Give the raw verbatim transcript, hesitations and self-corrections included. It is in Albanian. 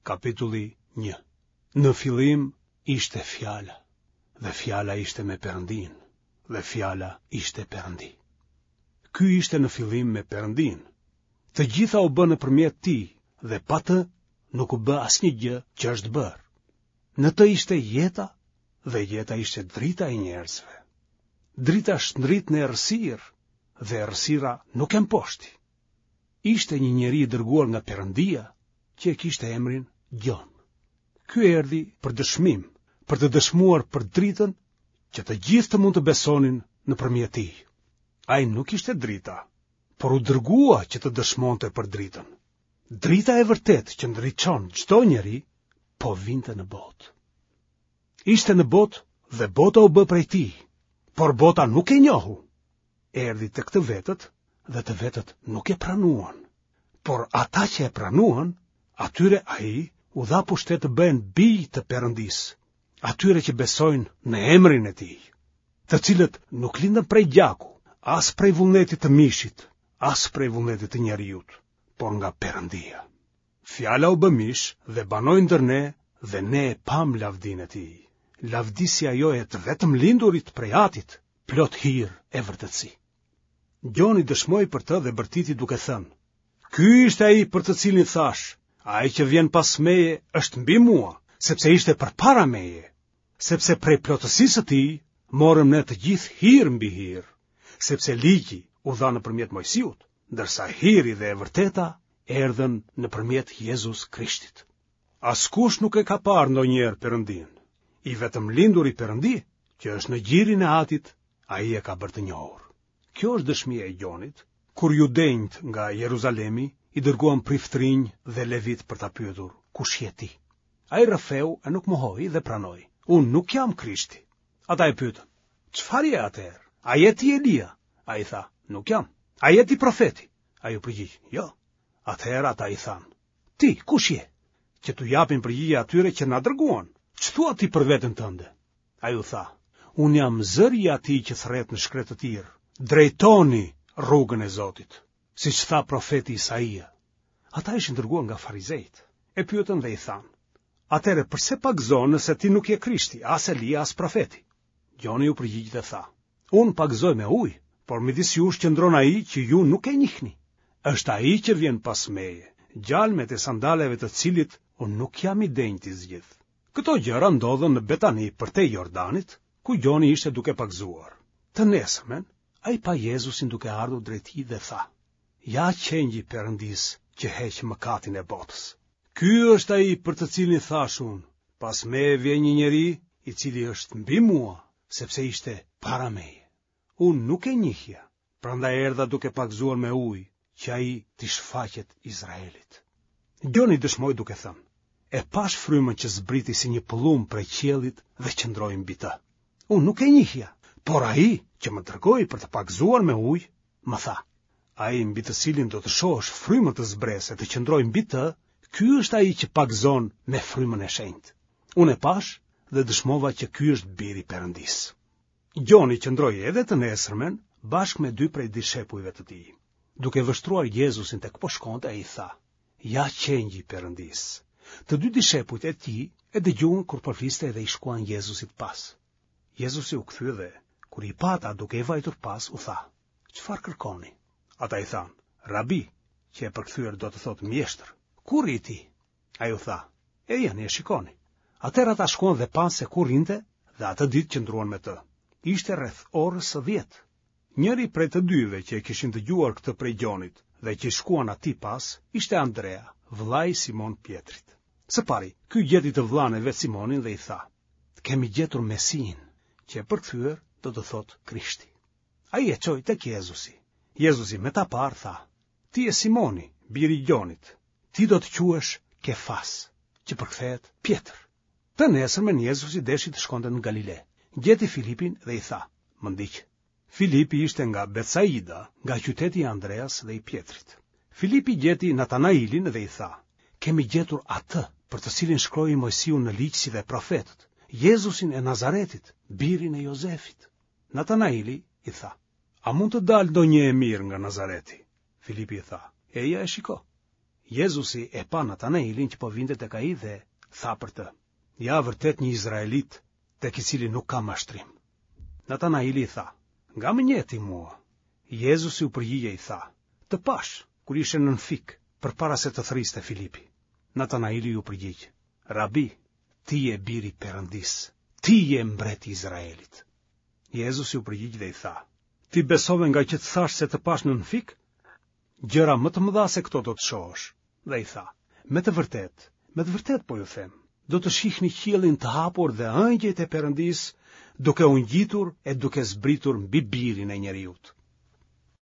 Kapitulli një. Në fillim ishte fjala, dhe fjala ishte me Perëndinë, dhe fjala ishte Perëndi. Ky ishte në fillim me Perëndinë. Të gjitha u bënë nëpërmjet tij dhe pa të nuk u bë asnjë gjë që është bërë. Në të ishte jeta dhe jeta ishte drita e njerëzve. Drita shndrit në errësirë dhe errësira nuk e mposhti. Ishte një njeri i dërguar nga Perëndia që e kishte emrin Gjon. Ky erdhi për dëshmim, për të dëshmuar për dritën që të gjithë të mund të besonin nëpërmjet tij. Ai nuk ishte drita, por u dërgua që të dëshmonte për dritën. Drita e vërtetë që ndriçon çdo njeri po vinte në botë. Ishte në botë dhe bota u bë prej tij, por bota nuk e njohu. Erdhi tek të vetët dhe të vetët nuk e pranuan. Por ata që e pranuan, atyre ai u dha pushtet të bëhen bij të Perëndisë, atyre që besojnë në emrin e tij, të cilët nuk lindën prej gjaku, as prej vullnetit të mishit, as prej vullnetit të njeriut, por nga Perëndia. Fjala u bë mish dhe banoi ndër ne dhe ne e pamë lavdinë e tij. Lavdi si ajo e të vetëmlindurit prej Atit, plot hir e vërtetësi. Gjoni dëshmoi për të dhe bërtiti duke thënë: Ky ishte ai për të cilin thashë, ai që vjen pas meje është mbi mua, sepse ishte përpara meje, sepse prej plotësisë së tij morëm ne të gjithë hir mbi hir, sepse ligji u dha nëpërmjet Moisiut, ndërsa hiri dhe e vërteta erdhën nëpërmjet Jezus Krishtit. Askush nuk e ka parë ndonjëherë Perëndinë. I vetëmlinduri Perëndi, që është në gjirin e Atit, ai e ka bërë të njohur. Kjo është dëshmia e Gjonit, kur judenjtë nga Jeruzalemi i dërguan priftërinj dhe levitë për ta pyetur, kush je ti? Ai rrëfeu e nuk mohoi dhe pranoi, unë nuk jam Krishti. Ata e pyetën, çfarë je atëherë? A je ti Elia? Ai tha, nuk jam. A je ti profeti? Ai u përgjigj, jo. Atëherë ata i thanë, ti, kush je? Që t'u japim përgjigje atyre që na dërguan. Ç'thua ti për veten tënde? Ai u tha, unë jam zëri i atij që thërret në shkretëtirë. Drejtoni rrugën e Zotit, siç tha profeti Isaia. Ata ishin dërguar nga farizejtë. E pyetën dhe i thanë, atëherë përse pagëzon nëse ti nuk je Krishti, as Elia, as profeti? Gjoni u përgjigj dhe tha, unë pagëzoj me ujë, por midis jush qëndron ai që ju nuk e njihni. Është ai që vjen pas meje, gjalmet e sandaleve të cilit unë nuk jam i denjë t'i zgjidh. Këto gjëra ndodhën në Betani përtej Jordanit, ku Gjoni ishte duke pagëzuar. Të nesërmen, ai pa Jezusin duke ardhur drejt tij dhe tha, ja qengji i Perëndisë që heq mëkatin e botës. Ky është ai për të cilin thashë unë, pas meje vjen një njeri i cili është mbi mua, sepse ishte para meje. Unë nuk e njihja, prandaj erdha duke pagëzuar me ujë, që ai t'i shfaqet Izraelit. Gjoni dëshmoi duke thënë, e pashë frymën që zbriti si një pëllumb prej qiellit dhe qëndroi mbi të. Unë nuk e njihja, por ai që më dërgoi për të pagëzuar me ujë, më tha, ai mbi të cilin do të shohësh frymën të zbresë e të qëndrojë mbi të, ky është ai që pagëzon me frymën e shenjtë. Unë e pashë dhe dëshmova që ky është biri i Perëndisë. Gjoni qëndroi edhe të nesërmen bashkë me dy prej dishepujve të tij. Duke vështruar Jezusin tek po shkonte, ai tha, ja qengji i Perëndisë. Të dy dishepujt e tij e dëgjuan kur po fliste dhe i shkuan Jezusit pas. Jezusi u kthye dhe, kur i pa ata duke i vajtur pas, u tha, çfarë kërkoni? Ata i thanë, Rabi, që e përkthyer do të thotë mjeshtër, ku rri ti? Ai u tha, ejani e shikoni. Atëherë ata shkuan dhe panë se ku rrinte dhe atë ditë qëndruan me të. Ishte rreth orës së dhjetë. Njëri prej të dyve që e kishin dëgjuar këtë prej Gjonit dhe që i shkuan atij pas, ishte Andrea, vëllai i Simon Pjetrit. Së pari, ky gjeti të vëllanë e vet Simonin dhe i tha, kemi gjetur Mesinë, që e përkthyer do të thotë Krishti. Ai e çoi tek Jezusi. Jezusi me ta parë tha, ti je Simoni, biri i Gjonit, ti do të quhesh Kefas, që përkthehet Pjetër. Të nesërmen Jezusi deshi të shkonte në Galile. Gjeti Filipin dhe i tha, më ndiq. Filipi ishte nga Betsaida, nga qyteti i Andreas dhe i Pjetrit. Filipi gjeti Natanailin dhe i tha, kemi gjetur atë për të cilin shkroi Moisiu në ligj si dhe profetët, Jezusin e Nazaretit, birin e Jozefit. Natanaili i tha, a mund të dalë ndonjë e mirë nga Nazareti? Filipi i tha, eja e shiko. Jezusi e pa Natanailin që po vinte tek ai dhe tha për të: Ja vërtet një izraelit, tek i cili nuk ka mashtrim. Natanaili i tha: Nga më njeh ti mua? Jezusi u përgjigj e i tha: Të pashë, kur ishe nën fik, përpara se të thërriste Filipi. Natanaili iu përgjigj: Rabi, ti je biri i Perëndisë, ti je mbreti i Izraelit. Jezusi u përgjigj dhe i tha: Ti besove ngaqë të thashë se të pashë nën fik? Gjëra më të mëdha se këto do të shohësh. Dhe i tha: Me të vërtetë, me të vërtetë po ju them, do të shihni qiellin të hapur dhe ëngjëjt e Perëndisë duke u ngjitur e duke zbritur mbi birin e njeriut.